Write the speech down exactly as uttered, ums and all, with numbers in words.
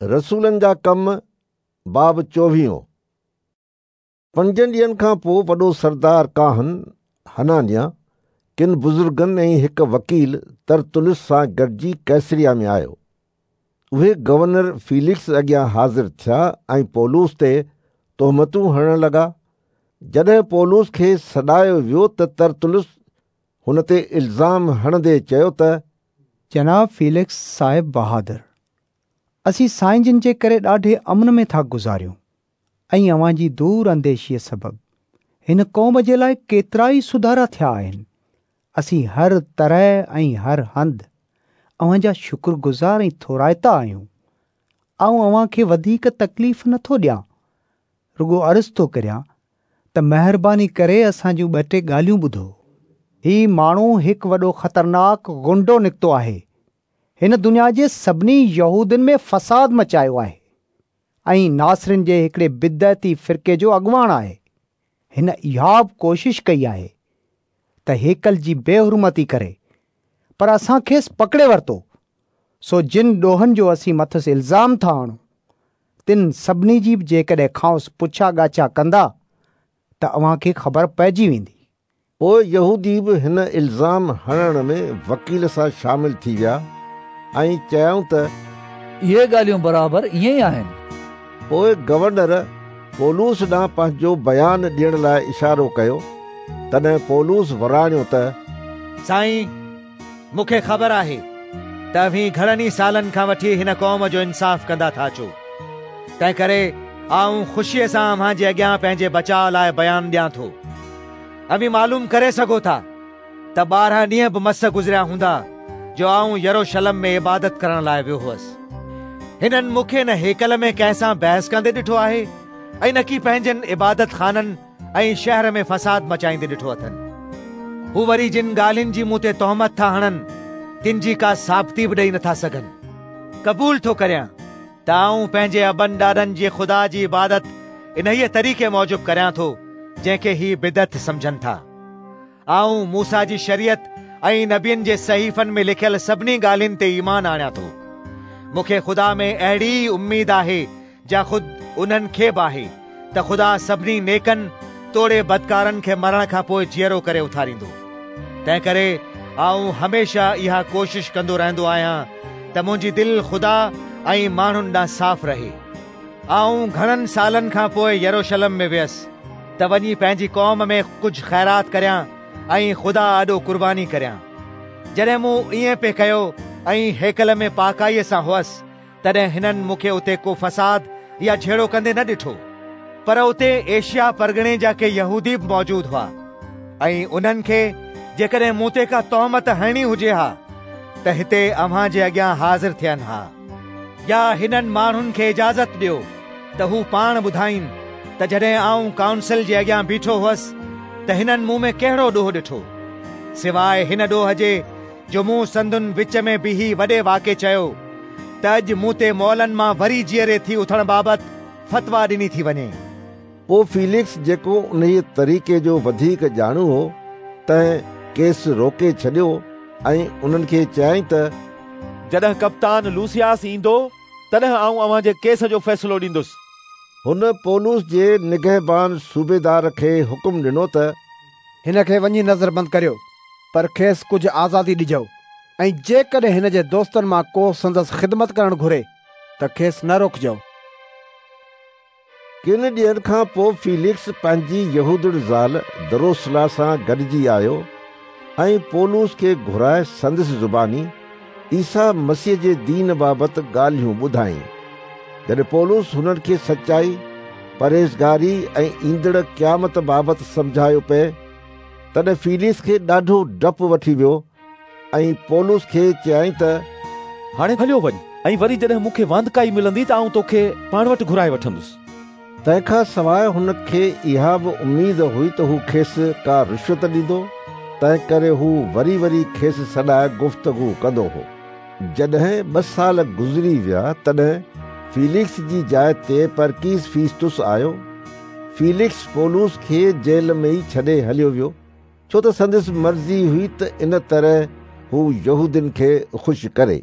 रसूलनि जा कम बाब चोवीहों। पंजनि ॾींहनि खां पोइ वॾो सरदार काहन हनानिया किन बुज़ुर्गनि ऐं हिकु वकील तरतुलुस सां गॾिजी कैसरिया में आयो। उहे गवर्नर फीलिक्स अॻियां हाज़िर थिया ऐं पौलुस ते तोहमतूं हणण लॻा। जॾहिं पौलुस खे सॾायो वियो त तरतुलुस हुन ते इल्ज़ाम हणंदे चयो त जनाब फीलिक्स साहिब बहादुर, असीं साईं जिन जे करे ॾाढे अमन में था गुज़ारियूं ऐं अव्हां जी दूर अंदेशीअ सबबु हिन क़ौम जे लाइ केतिरा ई सुधारा थिया आहिनि। असीं हर तरह ऐं हर हंधि अव्हां जा शुक्रगुज़ार ऐं थोराइता आहियूं। आउं अव्हां खे वधीक तकलीफ़ नथो ॾियां, रुगो अर्ज़ु थो करियां त महिरबानी करे असांजूं ॿ टे ॻाल्हियूं ॿुधो। ही माण्हू हिकु वॾो ख़तरनाक गुंडो निकितो आहे। हिन दुनिया जे सभिनी यहूदियुनि में फसाद मचायो आहे ऐं नासरिन जे हिकिड़े बिदअती फ़िरके जो अॻवान आहे। हिन इहा बि कोशिश कई आहे त हेकल जी बेहुरमती करे, पर असां खेसि पकड़े वरितो। सो जिन ॾोहनि जो असीं मथसि इल्ज़ाम था आणूं तिन सभिनी जी बि जेकॾहिं खांसि पुछा ॻाछा कंदा त अव्हां खे ख़बर पइजी वेंदी। पोइ यहूदी बि हिन इल्ज़ाम हणण में वकील सां शामिल थी विया ऐं चयाऊं त इहे ॻाल्हियूं बराबरि ईअं ई आहिनि। पोइ गवर्नर पौलुस ॾांहुं पंहिंजो बयान ॾियण लाइ इशारो कयो। तॾहिं पौलुस वराणियो त साईं, मूंखे ख़बर आहे त अव्हीं घणनि ई सालनि खां वठी हिन क़ौम जो इंसाफ़ कंदा था अचो, तंहिं करे आउं ख़ुशीअ सां अव्हां जे अॻियां पंहिंजे बचाव लाइ बयान ॾियां थो। अव्हीं मालूम करे सघो था त ॿारहं ॾींहं बि मस गुज़रिया हूंदा जो आउं यरूशलेम में इबादत करण लाइ वियो हुअसि। हिननि मूंखे न हेकल में कंहिंसां बहस कंदे ॾिठो आहे ऐं न की पंहिंजनि इबादत खाननि ऐं शहर में फसाद मचाईंदे ॾिठो अथनि। हू वरी जिन ॻाल्हियुनि जी मूं ते तोहमत था हणनि तिन जी का साबिती बि ॾेई नथा सघनि। क़बूल थो करियां त आउं पंहिंजे अबनि ॾाॾनि जे ख़ुदा जी इबादत इन्हीअ तरीक़े मूजिबि करियां थो जंहिंखे ही बिदअत सम्झनि था। आउं मूसा जी शरीयत ऐं नबियुनि जे सहीफ़नि में लिखियल सभिनी ॻाल्हियुनि ते ईमान आणियां थो। मूंखे ख़ुदा में अहिड़ी ई उम्मीद आहे जा ख़ुदि उन्हनि खे बि आहे त ख़ुदा सभिनी नेकनि तोड़े बदकारनि खे मरण खां पोइ जीअरो करे उथारींदो। तंहिं करे आउं हमेशह इहा कोशिश कंदो रहंदो आहियां त मुंहिंजी दिलि ख़ुदा ऐं माण्हुनि ॾांहुं साफ़ रहे। आउं घणनि सालनि खां पोइ यरूशलेम में वियुसि त वञी पंहिंजी क़ौम में कुझु ख़ैरात करियां ऐं ख़ुदा आॾो कुर्बानी करियां। जॾहिं मूं ईअं पए कयो ऐं हेकल में पाकाईअ सां हुअसि तॾहिं हिननि मूंखे उते को फसाद या झेड़ो कंदे न ॾिठो, पर उते एशिया परगणे जा के यहूदी बि मौजूदु हुआ ऐं उन्हनि खे जेकॾहिं मूं ते का तोहमत हणणी हुजे हा त हिते अव्हां जे अॻियां हाज़िर थियनि हा। या हिननि माण्हुनि खे इजाज़त ॾियो त हू पाण ॿुधाइनि त जॾहिं आउं काउंसिल जे अॻियां बीठो हुअसि त हिननि मूं में कहिड़ो ॾोह ॾिठो, सिवाइ हिन ॾोह जे जो मूं संदुनि विच में बीही वॾे वाके चयो त अॼु मूं ते मौलनि मां वरी जीअरे थी उथण बाबति फतवा ॾिनी थी वञे। पोइ फीलिक्स जेको उन्हीअ तरीक़े जो वधीक ॼाणू हो तंहिं केस रोके छॾियो ऐं उन्हनि खे चयाईं त जॾहिं कप्तान लूसियास ईंदो तॾहिं आउं अव्हां जे केस जो फ़ैसिलो ॾींदुसि। हुन पौलुस जे निगहबान सूबेदार खे हुकुम ॾिनो त हिन खे वञी नज़रबंद करियो, पर खेसि कुझु आज़ादी ॾिजो ऐं जेकॾहिं हिन जे दोस्तनि मां को संदसि ख़िदमत करणु घुरे त खेसि न रोकिजो। किन ॾींहनि खां पोइ फीलिक्स पंहिंजी यहूदड़ ज़ाल दरोसला सां गॾिजी आयो ऐं पौलुस खे घुराए संदसि ज़ुबानी ईसा मसीह जे दीन बाबति ॻाल्हियूं ॿुधाईं। जॾहिं पौलुस हुननि खे सचाई, परहेज़गारी ऐं ईंदड़ क़यामत बाबति सम्झायो पए तॾहिं फीलिक्स खे ॾाढो डपु वठी वियो ऐं पौलुस खे चयाईं त हाणे हलियो वञ ऐं वरी जॾहिं मूंखे वांदकाई मिलंदी त आउं तोखे पाण वटि घुराए वठंदुसि। तंहिंखां सवाइ हुनखे इहा बि उमेद हुई त हू खेसि का रिश्वत ॾींदो, तंहिं करे हू वरी वरी खेसि सॾाए गुफ़्तगू कंदो हो। जॾहिं ॿ साल गुज़री विया तॾहिं फीलिक्स जी जाइ ते परकीस फीस्तुस आयो। फीलिक्स पौलुस खे जेल में ई छॾे हलियो वियो, छो त संदसि मर्ज़ी हुई त इन तरह हू यहूदियुनि खे ख़ुशि करे।